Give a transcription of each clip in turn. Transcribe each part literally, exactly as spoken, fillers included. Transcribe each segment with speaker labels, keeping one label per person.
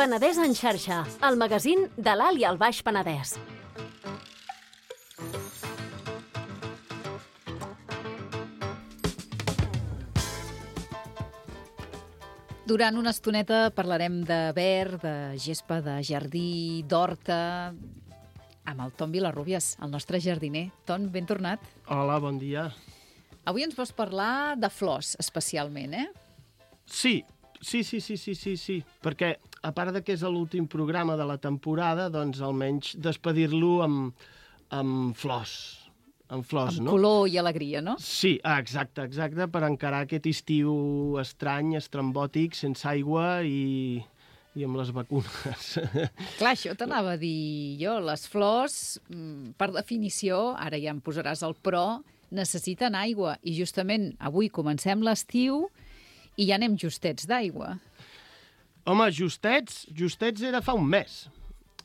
Speaker 1: Penedès en xarxa, el magazín de l'Alt i el Baix Penedès.
Speaker 2: Durant una estoneta parlarem de verd, de gespa, de jardí, d'horta, amb el Ton Vilarrubias, el nostre jardiner. Ton, ben tornat.
Speaker 3: Hola, bon dia.
Speaker 2: Avui ens vols parlar de flors, especialment, eh?
Speaker 3: Sí, sí, sí, sí, sí, sí, sí. Perquè, a part de que és l'últim programa de la temporada, doncs almenys despedir-lo amb, amb flors. Amb flors,
Speaker 2: amb
Speaker 3: no?
Speaker 2: color i alegria, no?
Speaker 3: Sí, ah, exacte, exacte, per encarar aquest estiu estrany, estrambòtic, sense aigua i, i amb les vacunes.
Speaker 2: Clar, això t'anava a dir jo. Les flors, per definició, ara ja em posaràs el però, necessiten aigua. I justament avui comencem l'estiu i ja anem justets d'aigua.
Speaker 3: Home, justets, justets era fa un mes.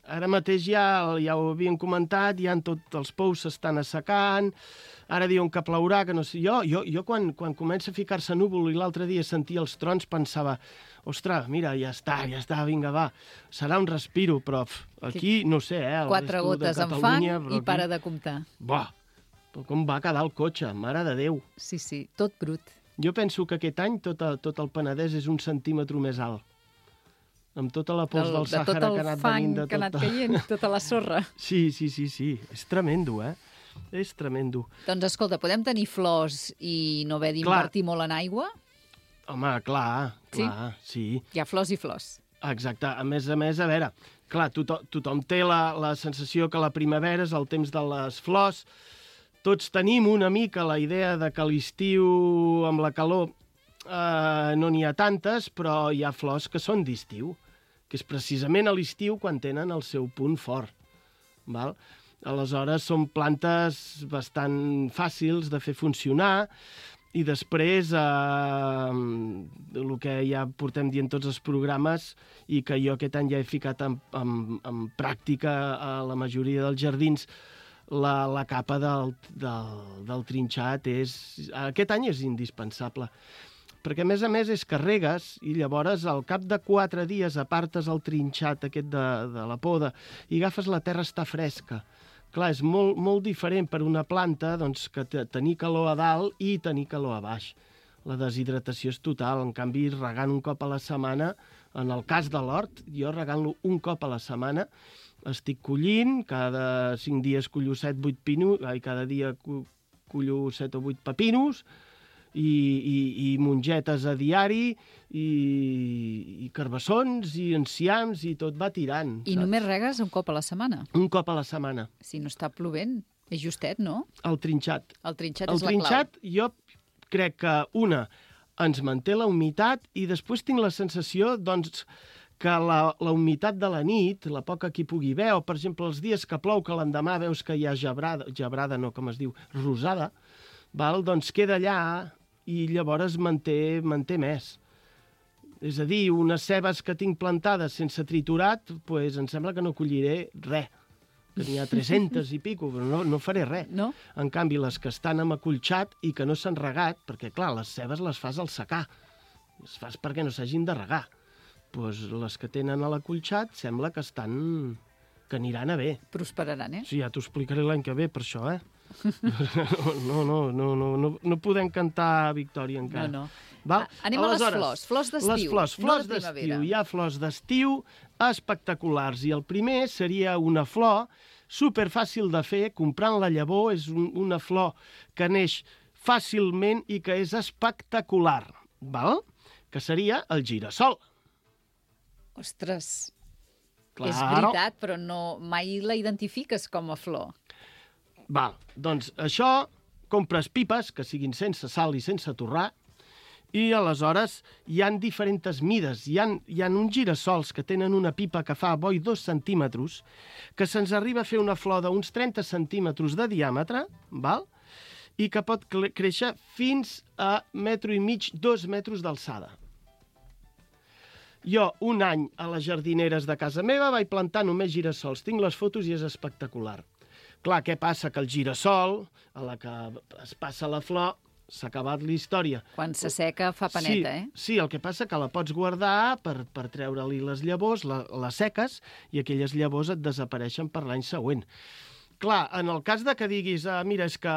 Speaker 3: Ara mateix ja, ja ho havien comentat, ja en tots els pous s'estan assecant, ara diuen que plourà, que no sé... Jo, jo, jo quan, quan comença a ficar-se núvol i l'altre dia sentia els trons pensava, ostres, mira, ja està, ja està, vinga, va, serà un respiro, però aquí, no sé, eh...
Speaker 2: Quatre gotes en fang i para de comptar.
Speaker 3: Buah, com va quedar el cotxe, mare de Déu.
Speaker 2: Sí, sí, tot brut.
Speaker 3: Jo penso que aquest any tot, el, tot el Penedès és un centímetre més alt. Amb tota la pols del Sàhara que ha anat venint de tot.
Speaker 2: Que ha anat caient, tota la sorra.
Speaker 3: Sí, sí, sí, sí. És tremendo, eh? És tremendo.
Speaker 2: Doncs escolta, podem tenir flors i no haver d'invertir molt en aigua?
Speaker 3: Home, clar, clar, sí. sí.
Speaker 2: Hi ha flors i flors.
Speaker 3: Exacte. A més a més, a veure, clar, tothom, tothom té la, la sensació que la primavera és el temps de les flors. Tots tenim una mica la idea de que l'estiu amb la calor eh, no n'hi ha tantes, però hi ha flors que són d'estiu, que és precisament a l'estiu quan tenen el seu punt fort. Val? Aleshores, són plantes bastant fàcils de fer funcionar i després, eh, el que ja portem dient tots els programes i que jo aquest any ja he ficat en, en, en pràctica a la majoria dels jardins, la, la capa del, del, del trinxat és... Aquest any és indispensable. Perquè, a més a més, és que regues i llavors al cap de quatre dies apartes el trinxat aquest de, de la poda i agafes la terra, està fresca. Clar, és molt, molt diferent per una planta doncs, que tenir calor a dalt i tenir calor a baix. La deshidratació és total. En canvi, regant un cop a la setmana, en el cas de l'hort, jo regant-lo un cop a la setmana, estic collint, cada cinc dies collo set, vuit pinos, ai, cada dia collo set o vuit pepinos, I, i, i mongetes a diari, i, i carbassons, i enciams, i tot va tirant.
Speaker 2: I saps? Només regues un cop a la setmana?
Speaker 3: Un cop a la setmana.
Speaker 2: Si no està plovent, és justet, no?
Speaker 3: El trinxat.
Speaker 2: El trinxat
Speaker 3: el
Speaker 2: és la
Speaker 3: trinxat,
Speaker 2: clau.
Speaker 3: Jo crec que, una, ens manté la humitat, i després tinc la sensació, doncs, que la, la humitat de la nit, la poca que hi pugui haver, o, per exemple, els dies que plou, que l'endemà veus que hi ha gebrada, gebrada no, com es diu, rosada, val? Doncs queda allà, i llavors manté, manté més. És a dir, unes cebes que tinc plantades sense triturat, doncs em sembla que no colliré res. Que n'hi ha tres-centes i pico, però no, no faré res.
Speaker 2: No?
Speaker 3: En canvi, les que estan amb acolxat i que no s'han regat, perquè, clar, les cebes les fas al secà. Les fas perquè no s'hagin de regar. Doncs les que tenen a l'acolxat sembla que estan... que aniran a bé.
Speaker 2: Prosperaran, eh?
Speaker 3: Sí, ja t'ho explicaré l'any que ve, per això, eh? No, no, no, no, no, no podem cantar victòria encara.
Speaker 2: No, no.
Speaker 3: Val?
Speaker 2: Anem
Speaker 3: Aleshores,
Speaker 2: a les flors, flors d'estiu,
Speaker 3: les flors, flors
Speaker 2: no de primavera.
Speaker 3: Hi ha flors d'estiu espectaculars, i el primer seria una flor superfàcil de fer, comprant la llavor, és un, una flor que neix fàcilment i que és espectacular, val? Que seria el girassol.
Speaker 2: Ostres,
Speaker 3: claro.
Speaker 2: És veritat, però no, mai la identifiques com a flor.
Speaker 3: Val, doncs això, compres pipes que siguin sense sal i sense torrar, i aleshores hi han diferents mides. Hi han, hi han uns girassols que tenen una pipa que fa boi dos centímetres, que se'ns arriba a fer una flor d'uns trenta centímetres de diàmetre, val? I que pot créixer fins a metro i mig, dos metres d'alçada. Jo, un any, a les jardineres de casa meva, vaig plantar només girassols. Tinc les fotos i és espectacular. Clar, què passa? Que el girassol, a la que es passa la flor, s'ha acabat la història.
Speaker 2: Quan s'asseca fa paneta,
Speaker 3: sí,
Speaker 2: eh?
Speaker 3: Sí, el que passa que la pots guardar per, per treure-li les llavors, la, les seques, i aquelles llavors et desapareixen per l'any següent. Clar, en el cas de que diguis, ah, mira, és que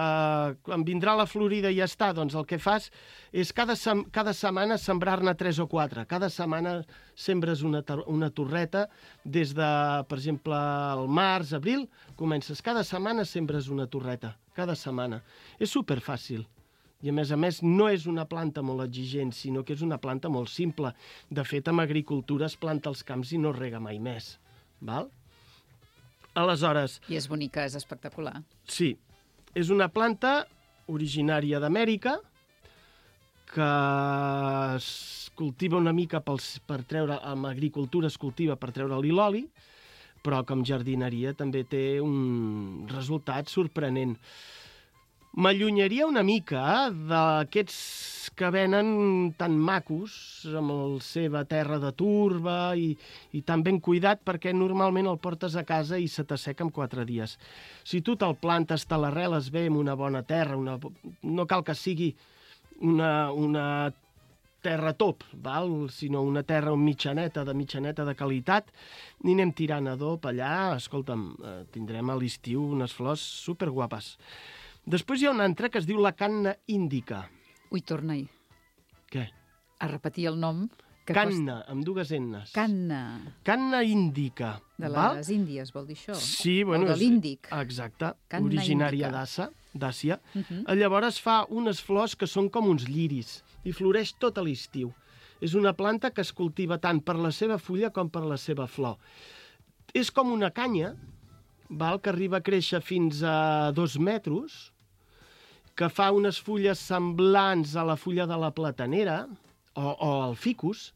Speaker 3: em vindrà la florida i ja està, doncs el que fas és cada, sem cada setmana sembrar-ne tres o quatre. Cada setmana sembres una, una torreta des de, per exemple, el març, abril, comences cada setmana sembres una torreta, cada setmana. És superfàcil. I, a més a més, no és una planta molt exigent, sinó que és una planta molt simple. De fet, en agricultura es planta als camps i no es rega mai més. Val? Aleshores...
Speaker 2: I és bonica, és espectacular.
Speaker 3: Sí. És una planta originària d'Amèrica que es cultiva una mica pels, per treure... Amb agricultura es cultiva per treure-li l'oli, però com jardineria també té un resultat sorprenent. M'allunyaria una mica d'aquests que venen tan macos, amb la seva terra de turba i, i tan ben cuidat, perquè normalment el portes a casa i se t'asseca en quatre dies. Si tu te'l plantes, te l'arreles bé en una bona terra, una, no cal que sigui una, una terra top, val? Sinó una terra mitjaneta, de mitjaneta de qualitat, ni anem tirant adob allà, escolta'm, tindrem a l'estiu unes flors superguapes. Després hi ha una altra que es diu la canna índica.
Speaker 2: Ui, torna-hi.
Speaker 3: Què?
Speaker 2: A repetir el nom. Que
Speaker 3: canna, costa... amb dues ennes.
Speaker 2: Canna.
Speaker 3: Canna índica.
Speaker 2: De
Speaker 3: val?
Speaker 2: les Índies, vol dir això?
Speaker 3: Sí, bueno...
Speaker 2: O de l'Índic.
Speaker 3: Exacte,
Speaker 2: canna
Speaker 3: originària d'Àsia.
Speaker 2: Uh -huh.
Speaker 3: Llavors fa unes flors que són com uns lliris i floreix tot a l'estiu. És una planta que es cultiva tant per la seva fulla com per la seva flor. És com una canya, val? Que arriba a créixer fins a dos metres, que fa unes fulles semblants a la fulla de la platanera o, o al ficus.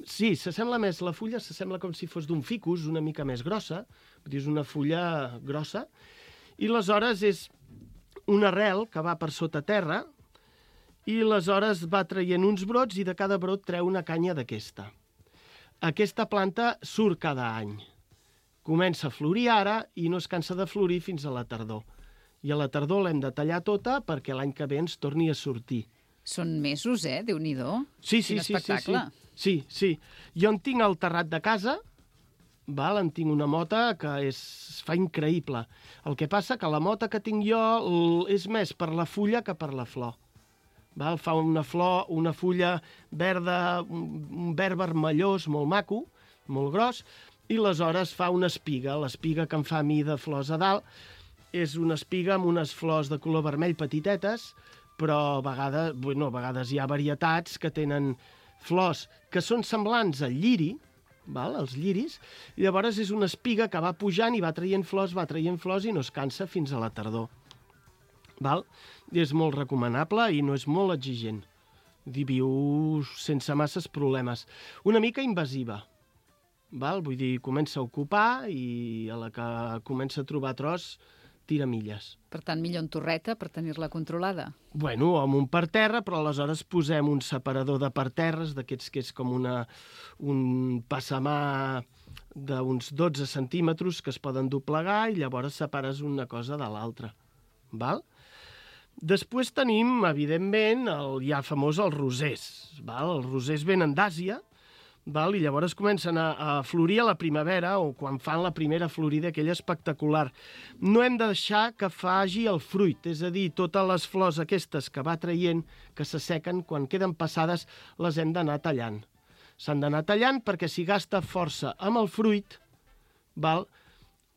Speaker 3: Sí, s'assembla més, la fulla s'assembla com si fos d'un ficus, una mica més grossa, vull dir, és una fulla grossa, i aleshores és una arrel que va per sota terra i aleshores va traient uns brots i de cada brot treu una canya d'aquesta. Aquesta planta surt cada any. Comença a florir ara i no es cansa de florir fins a la tardor. I a la tardor l'hem de tallar tota perquè l'any que ve ens torni a sortir.
Speaker 2: Són mesos, eh? Déu-n'hi-do.
Speaker 3: Sí, sí,
Speaker 2: Quin
Speaker 3: sí,
Speaker 2: espectacle.
Speaker 3: sí, sí, sí. Jo en tinc al terrat de casa, val? En tinc una mota que és, es fa increïble. El que passa que la mota que tinc jo és més per la fulla que per la flor. Val? Fa una flor, una fulla verda, un verd vermellós molt maco, molt gros, i aleshores fa una espiga. L'espiga que em fa a mi de flors a dalt és una espiga amb unes flors de color vermell petitetes, però a vegades, bueno, a vegades hi ha varietats que tenen flors que són semblants al lliri, val? Els lliris, i llavors és una espiga que va pujant i va traient flors, va traient flors i no es cansa fins a la tardor. Val? I és molt recomanable i no és molt exigent. I viu sense masses problemes. Una mica invasiva. Val? Vull dir, comença a ocupar i a la que comença a trobar tros tira milles.
Speaker 2: Per tant, millor en torreta per tenir-la controlada.
Speaker 3: Bueno, amb un parterre, però aleshores posem un separador de parterres, d'aquests que és com una, un passamà d'uns dotze centímetres que es poden doblegar i llavors separes una cosa de l'altra. Val? Després tenim, evidentment, el ja famós els rosers. Val? Els rosers venen d'Àsia, val? I llavors comencen a, a florir a la primavera o quan fan la primera florida, aquella espectacular. No hem de deixar que faci el fruit, és a dir, totes les flors aquestes que va traient, que s'assequen, quan queden passades, les hem d'anar tallant. S'han d'anar tallant perquè si gasta força amb el fruit, val?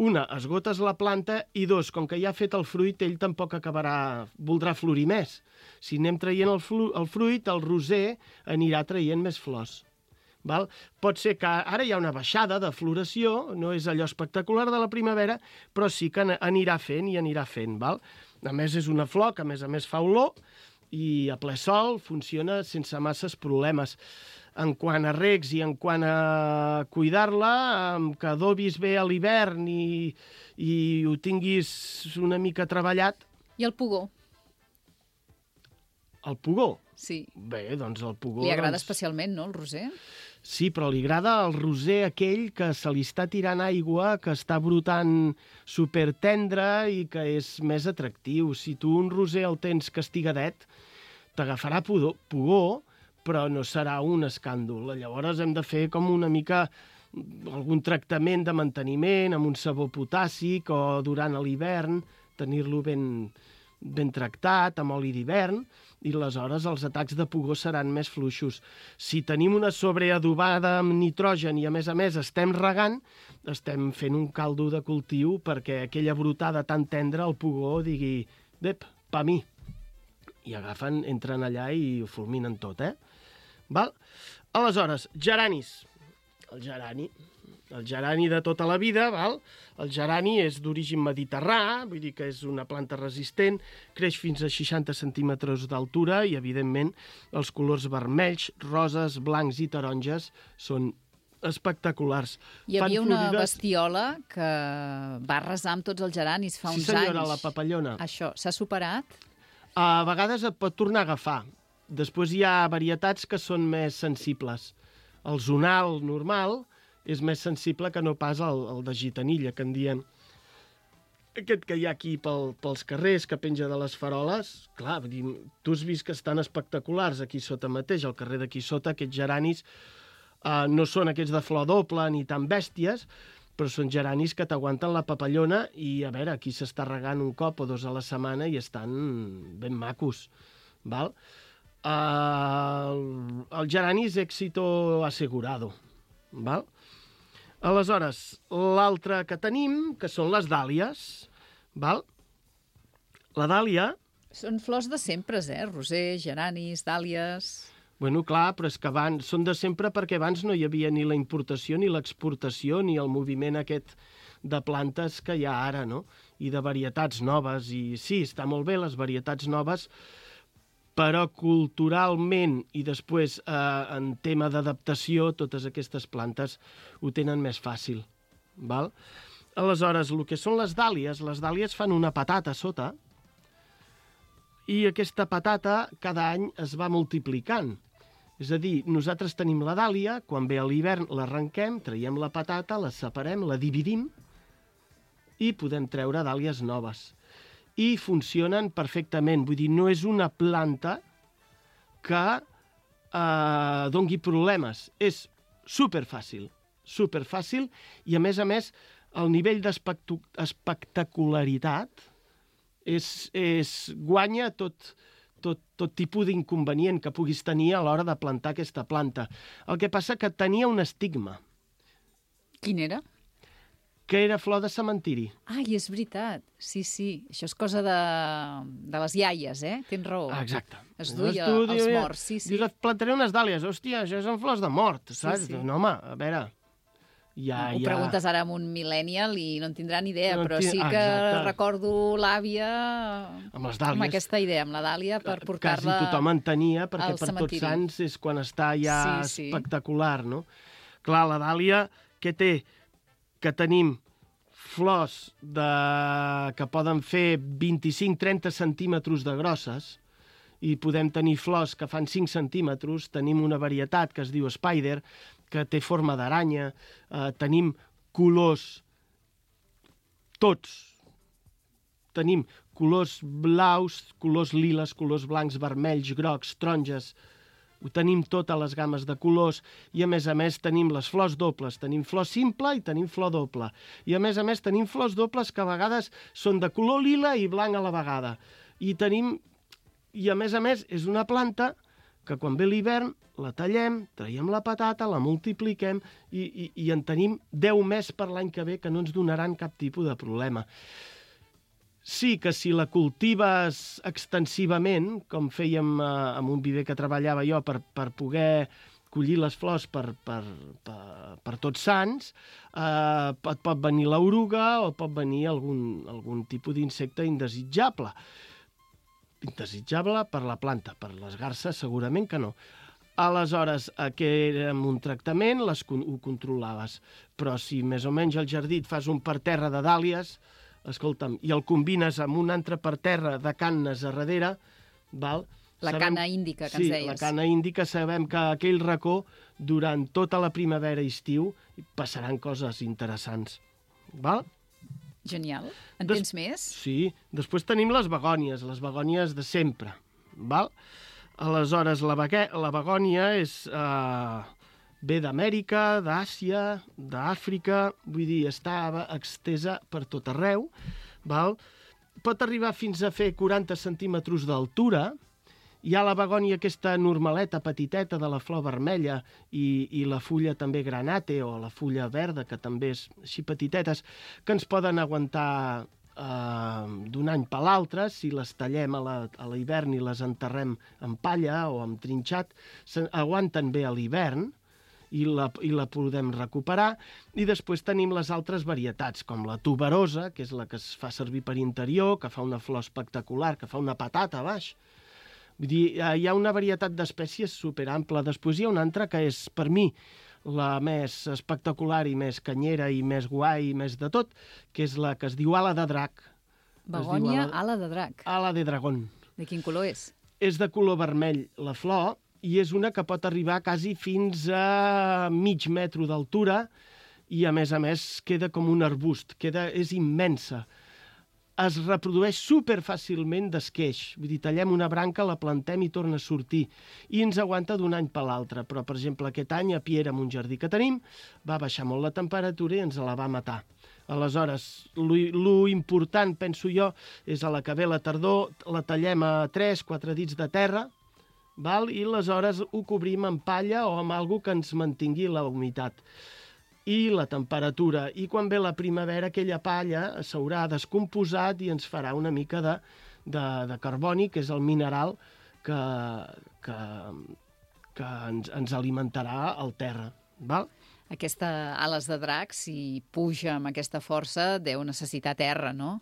Speaker 3: Una, esgotes la planta i dos, com que ja ha fet el fruit, ell tampoc acabarà, voldrà florir més. Si anem traient el, el fruit, el roser anirà traient més flors. Val? Pot ser que ara hi ha una baixada de floració, no és allò espectacular de la primavera, però sí que anirà fent i anirà fent. Val? A més, és una flor que a més a més fa olor i a ple sol funciona sense masses problemes. En quant a regs i en quant a cuidar-la, que adobis bé a l'hivern i, i ho tinguis una mica treballat.
Speaker 2: I el pugó?
Speaker 3: El pugó?
Speaker 2: Sí.
Speaker 3: Bé, doncs el pugó...
Speaker 2: Li agrada
Speaker 3: doncs...
Speaker 2: especialment, no, el roser?
Speaker 3: Sí, però li agrada el roser aquell que se li està tirant aigua, que està brotant supertendre i que és més atractiu. Si tu un roser el tens castigadet, t'agafarà pudor, pugor, però no serà un escàndol. Llavors hem de fer com una mica algun tractament de manteniment amb un sabó potàssic o durant l'hivern, tenir-lo ben, ben tractat amb oli d'hivern, i aleshores els atacs de pugó seran més fluixos. Si tenim una sobreadobada amb nitrogen i a més a més estem regant, estem fent un caldo de cultiu perquè aquella brotada tan tendra el pugó digui, dep, pa mi. I agafen, entren allà i ho fulminen tot, eh? Val? Aleshores, geranis. El gerani, el gerani de tota la vida, val? El gerani és d'origen mediterrà, vull dir que és una planta resistent, creix fins a seixanta centímetres d'altura i, evidentment, els colors vermells, roses, blancs i taronges són espectaculars.
Speaker 2: Hi havia
Speaker 3: Fan
Speaker 2: una
Speaker 3: florides...
Speaker 2: bestiola que va arrasar amb tots els geranis fa
Speaker 3: Sí,
Speaker 2: uns
Speaker 3: senyora,
Speaker 2: anys.
Speaker 3: la papallona.
Speaker 2: Això, s'ha superat?
Speaker 3: A vegades et pot tornar a agafar. Després hi ha varietats que són més sensibles. El zonal normal és més sensible que no pas el, el de gitanilla, que en diem. Aquest que hi ha aquí pel, pels carrers, que penja de les faroles, clar, vull dir, tu has vist que estan espectaculars aquí sota mateix, al carrer d'aquí sota, aquests geranis eh, no són aquests de flor doble ni tan bèsties, però són geranis que t'aguanten la papallona i, a veure, aquí s'està regant un cop o dos a la setmana i estan ben macos, val? Uh, el gerani és èxito assegurado, val? Aleshores, l'altre que tenim, que són les dàlies, val? La dàlia...
Speaker 2: Són flors de sempre, eh? Roser, geranis, dàlies...
Speaker 3: Bueno, clar, però és que abans, són de sempre perquè abans no hi havia ni la importació, ni l'exportació, ni el moviment aquest de plantes que hi ha ara, no? I de varietats noves. I sí, està molt bé les varietats noves, però culturalment i després eh, en tema d'adaptació, totes aquestes plantes ho tenen més fàcil, val? Aleshores, el que són les dàlies, les dàlies fan una patata a sota, i aquesta patata cada any es va multiplicant. És a dir, nosaltres tenim la dàlia, quan ve a l'hivern l'arrenquem, traiem la patata, la separem, la dividim i podem treure dàlies noves. I funcionen perfectament. Vull dir, no és una planta que eh, dongui problemes. És superfàcil, superfàcil, i a més a més el nivell d'espectacularitat és, és, guanya tot, tot, tot tipus d'inconvenient que puguis tenir a l'hora de plantar aquesta planta. El que passa que tenia un estigma.
Speaker 2: Quin era?
Speaker 3: Que era flor de cementiri.
Speaker 2: Ai, és veritat. Sí, sí. Això és cosa de, de les iaies, eh? Tens raó.
Speaker 3: Ah, exacte.
Speaker 2: Es duia
Speaker 3: tu,
Speaker 2: els
Speaker 3: dius,
Speaker 2: morts, sí, sí.
Speaker 3: Dius, et plantaré unes dàlies. Hòstia, això són flors de mort, saps?
Speaker 2: Sí, sí.
Speaker 3: No, home, a veure... Ja,
Speaker 2: Ho
Speaker 3: ja...
Speaker 2: preguntes ara amb un millennial i no en tindrà ni idea,
Speaker 3: No
Speaker 2: però
Speaker 3: tin-
Speaker 2: sí
Speaker 3: ah,
Speaker 2: que
Speaker 3: exacte.
Speaker 2: recordo l'àvia
Speaker 3: Amb les dàlies.
Speaker 2: amb aquesta idea, amb la dàlia, per portar-la...
Speaker 3: Quasi tothom en tenia, perquè
Speaker 2: al
Speaker 3: per
Speaker 2: cementiri.
Speaker 3: Tots Sants és quan està ja
Speaker 2: Sí, sí.
Speaker 3: espectacular, no? Clar, la dàlia, què té? Que tenim flors de... que poden fer vint-i-cinc a trenta centímetres de grosses, i podem tenir flors que fan cinc centímetres, tenim una varietat que es diu Spider, que té forma d'aranya, eh, tenim colors, tots, tenim colors blaus, colors liles, colors blancs, vermells, grocs, taronges, ho tenim totes les gammes de colors, i a més a més tenim les flors dobles, tenim flor simple i tenim flor doble, i a més a més tenim flors dobles que a vegades són de color lila i blanc a la vegada, i tenim, i a més a més és una planta que quan ve l'hivern la tallem, traiem la patata, la multipliquem i, i, i en tenim deu més per l'any que ve que no ens donaran cap tipus de problema. Sí que si la cultives extensivament, com fèiem eh, amb un viver que treballava jo per, per poder collir les flors per, per, per, per Tots Sants, eh, et pot venir l'oruga o pot venir algun, algun tipus d'insecte indesitjable. Indesitjable per la planta, per les garses segurament que no. Aleshores, que era amb un tractament, les, ho controlaves. Però si més o menys al jardí et fas un parterre de dàlies, escolta'm, i el combines amb un altre parterre de cannes a darrere, val?
Speaker 2: La
Speaker 3: Sabem...
Speaker 2: cana índica, que
Speaker 3: sí,
Speaker 2: ens deies.
Speaker 3: Sí, la cana índica, sabem que aquell racó, durant tota la primavera i estiu, passaran coses interessants. Val?
Speaker 2: Genial. En
Speaker 3: Des...
Speaker 2: tens més?
Speaker 3: Sí. Després tenim les begònies, les begònies de sempre. Val? Aleshores, la, bague... la begònia és... Eh... ve d'Amèrica, d'Àsia, d'Àfrica, vull dir, està extesa per tot arreu, val? Pot arribar fins a fer quaranta centímetres d'altura. Hi ha la begònia aquesta normaleta, petiteta, de la flor vermella, i, i la fulla també granate, o la fulla verda, que també és així petitetes, que ens poden aguantar eh, d'un any per l'altre. Si les tallem a l'hivern i les enterrem en palla o amb trinxat, aguanten bé a l'hivern, i la, i la podem recuperar. I després tenim les altres varietats, com la tuberosa, que és la que es fa servir per interior, que fa una flor espectacular, que fa una patata a baix. Vull dir, hi ha una varietat d'espècies superampla. Després hi ha una altra que és, per mi, la més espectacular i més canyera i més guai i més de tot, que és la que es diu ala de drac.
Speaker 2: Begònia, ala... ala de drac.
Speaker 3: Ala de dragón.
Speaker 2: De quin color és?
Speaker 3: És de color vermell la flor, i és una que pot arribar quasi fins a mig metre d'altura i, a més a més, queda com un arbust, queda, és immensa. Es reprodueix superfàcilment d'esqueix, vull dir, tallem una branca, la plantem i torna a sortir, i ens aguanta d'un any per l'altre. Però, per exemple, aquest any a Piera, en un jardí que tenim, va baixar molt la temperatura i ens la va matar. Aleshores, lo important, penso jo, és a la que ve la tardor, la tallem a tres quatre dits de terra, val? I aleshores ho cobrim amb palla o amb alguna que ens mantingui la humitat i la temperatura. I quan ve la primavera, aquella palla s'haurà descomposat i ens farà una mica de, de, de carboni, que és el mineral que, que, que ens, ens alimentarà el terra. Val?
Speaker 2: Aquesta ales de drac, si puja amb aquesta força, deu necessitar terra, no?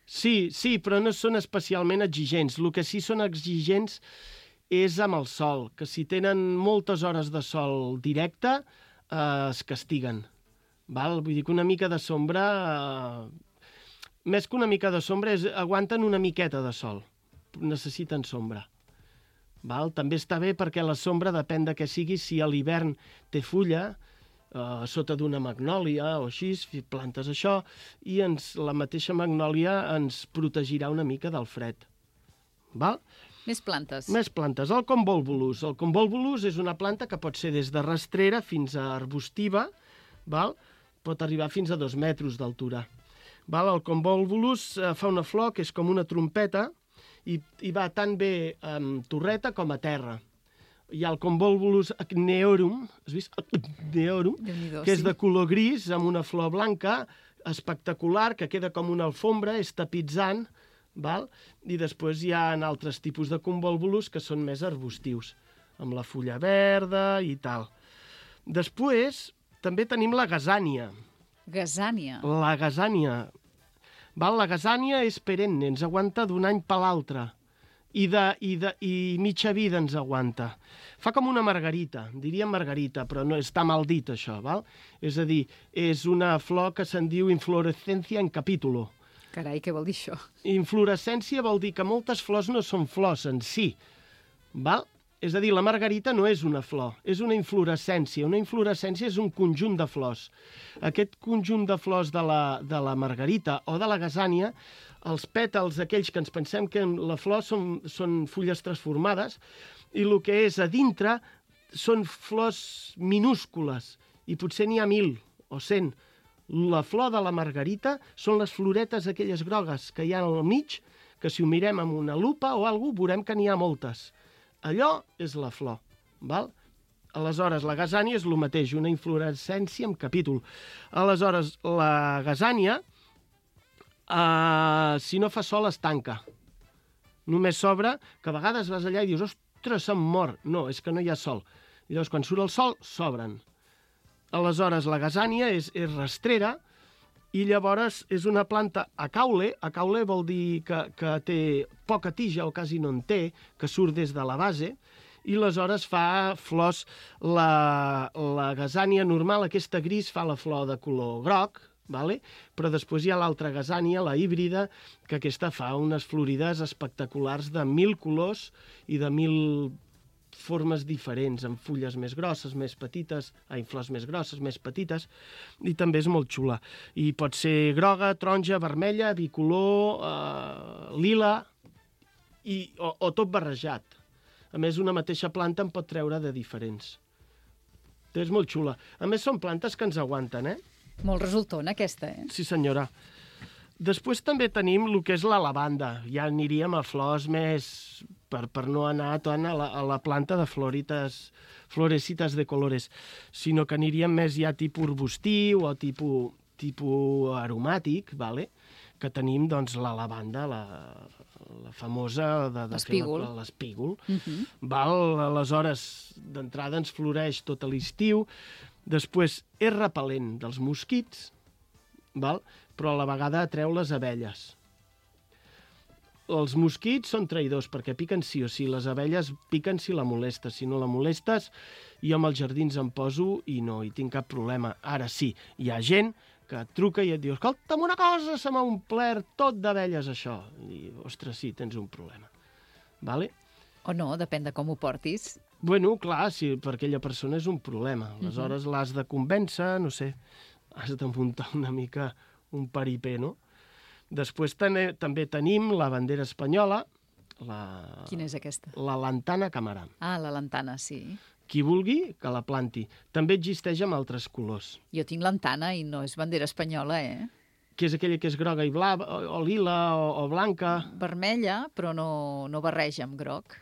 Speaker 3: Sí, sí, però no són especialment exigents. El que sí són exigents és amb el sol, que si tenen moltes hores de sol directe, eh, es castiguen. Val? Vull dir que una mica de sombra, eh, més que una mica de sombra, és, aguanten una miqueta de sol. Necessiten sombra. Val? També està bé perquè la sombra depèn de què sigui. Si a l'hivern té fulla, eh, sota d'una magnòlia o així, plantes això, i ens, la mateixa magnòlia ens protegirà una mica del fred. Val?
Speaker 2: Més plantes.
Speaker 3: Més plantes. El convolvulus. El convolvulus és una planta que pot ser des de rastrera fins a arbustiva, val? Pot arribar fins a dos metres d'altura. Val? El convolvulus eh, fa una flor que és com una trompeta i, i va tan bé amb torreta com a terra. Hi ha el convolvulus acneorum, has vist? Acneorum, que és de color gris amb una flor blanca espectacular, que queda com una alfombra, és tapitzant, val? I després hi ha altres tipus de convolvulus que són més arbustius, amb la fulla verda i tal. Després també tenim la gasània.
Speaker 2: Gasània.
Speaker 3: La gasània. Val? La gasània és perenne, ens aguanta d'un any per l'altre. I, de, i, de, I mitja vida ens aguanta. Fa com una margarita, diríem margarita, però no està mal dit això, val? És a dir, és una flor que se'n diu inflorescència en capítulo.
Speaker 2: Carai, què vol dir això?
Speaker 3: Inflorescència vol dir que moltes flors no són flors en si, val? És a dir, la margarita no és una flor, és una inflorescència. Una inflorescència és un conjunt de flors. Aquest conjunt de flors de la, de la margarita o de la gasània, els pètals, aquells que ens pensem que la flor són, són fulles transformades, i el que és a dintre són flors minúscules, i potser n'hi ha mil o cent. La flor de la margarita són les floretes aquelles grogues que hi ha al mig, que si ho mirem amb una lupa o alguna cosa, veurem que n'hi ha moltes. Allò és la flor, val? Aleshores, la gasània és el mateix, una inflorescència amb capítol. Aleshores, la gasània, eh, si no fa sol, es tanca. Només s'obre, que a vegades vas allà i dius, ostres, se'm mor. No, és que no hi ha sol. I llavors, quan surt el sol, s'obren. Aleshores, la gasània és, és rastrera i llavors és una planta acaule. Acaule vol dir que, que té poca tija o quasi no en té, que surt des de la base, i aleshores fa flors. La, la gasània normal, aquesta gris, fa la flor de color groc, vale? Però després hi ha l'altra gasània, la híbrida, que aquesta fa unes florides espectaculars de mil colors i de mil formes diferents, amb fulles més grosses, més petites, ai, flors més grosses, més petites, i també és molt xula. I pot ser groga, taronja, vermella, bicolor, eh, lila, i, o, o tot barrejat. A més, una mateixa planta en pot treure de diferents. És molt xula. A més, són plantes que ens aguanten, eh?
Speaker 2: Molt resultona, aquesta, eh?
Speaker 3: Sí, senyora. Després també tenim el que és la lavanda. Ja aniríem a flors més... per, per no anar tant a la, a la planta de florites, florecitas de colores, sinó que aniríem més ja tipus arbustiu o tipus, tipus aromàtic, vale? Que tenim doncs, la lavanda, la, la famosa... de, de
Speaker 2: l'espígol.
Speaker 3: L'espígol.
Speaker 2: Uh -huh.
Speaker 3: Val? Aleshores, d'entrada ens floreix tot l'estiu. Després, és repel·lent dels mosquits, val? Però a la vegada atreu les abelles. Els mosquits són traïdors perquè piquen sí o sí. Les abelles piquen si la molestes. Si no la molestes, jo amb els jardins em poso i no hi tinc cap problema. Ara sí, hi ha gent que et truca i et diu escolta'm una cosa, se m'ha omplert tot d'abelles això. I, ostres, sí, tens un problema. Vale?
Speaker 2: O no, depèn de com ho portis.
Speaker 3: Bueno, clar, si per aquella persona és un problema. Aleshores l'has de convèncer, no sé, has de muntar una mica un paripé, no? Després ten també tenim la bandera espanyola, la...
Speaker 2: Quina és aquesta?
Speaker 3: La lantana camarà.
Speaker 2: Ah, la lantana, sí.
Speaker 3: Qui vulgui, que la planti. També existeix amb altres colors.
Speaker 2: Jo tinc lantana i no és bandera espanyola, eh?
Speaker 3: Que és aquella que és groga i blava, o, o lila, o, o blanca.
Speaker 2: Vermella, però no, no barreja amb groc.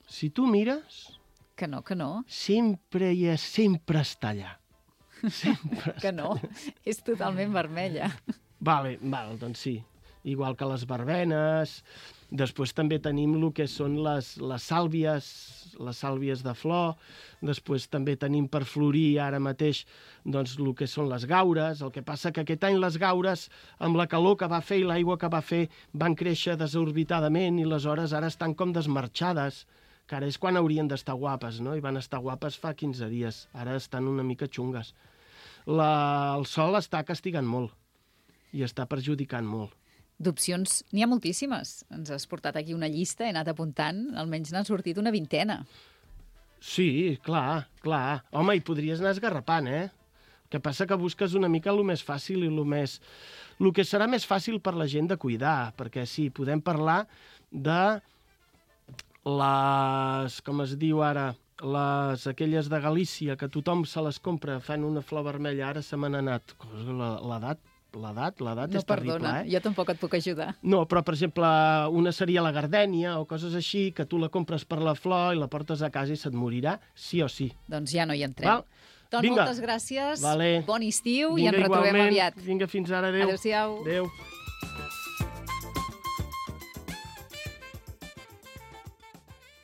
Speaker 3: Si tu mires...
Speaker 2: Que no, que no.
Speaker 3: Sempre hi és, sempre està allà. Sempre
Speaker 2: que no, és totalment vermella.
Speaker 3: Vale, val, doncs sí. Igual que les verbenes. Després també tenim el que són les, les sàlvies, les sàlvies de flor. Després també tenim per florir ara mateix doncs, el que són les gaures. El que passa que aquest any les gaures, amb la calor que va fer i l'aigua que va fer, van créixer desorbitadament i aleshores ara estan com desmarxades, que ara és quan haurien d'estar guapes, no? I van estar guapes fa quinze dies. Ara estan una mica xungues. La, el sol està castigant molt i està perjudicant molt.
Speaker 2: D'opcions n'hi ha moltíssimes. Ens has portat aquí una llista, he anat apuntant, almenys n'han sortit una vintena.
Speaker 3: Sí, clar, clar. Home, hi podries anar esgarrapant, eh? El que passa que busques una mica el més fàcil i el més... El que serà més fàcil per la gent de cuidar, perquè sí, podem parlar de les... com es diu ara... les aquelles de Galícia, que tothom se les compra, fan una flor vermella, ara se m'han anat. L'edat, l'edat, l'edat
Speaker 2: no,
Speaker 3: és terrible,
Speaker 2: perdona,
Speaker 3: eh?
Speaker 2: Jo tampoc et puc ajudar.
Speaker 3: No, però, per exemple, una seria la gardènia o coses així, que tu la compres per la flor i la portes a casa i se't morirà, sí o sí.
Speaker 2: Doncs ja no hi entrem.
Speaker 3: Val?
Speaker 2: Doncs
Speaker 3: Vinga.
Speaker 2: moltes gràcies,
Speaker 3: Vale.
Speaker 2: bon estiu
Speaker 3: Vinga,
Speaker 2: i ens retrobem
Speaker 3: igualment.
Speaker 2: aviat.
Speaker 3: Vinga, fins ara, adéu.
Speaker 2: Adéu-siau.
Speaker 3: Adéu.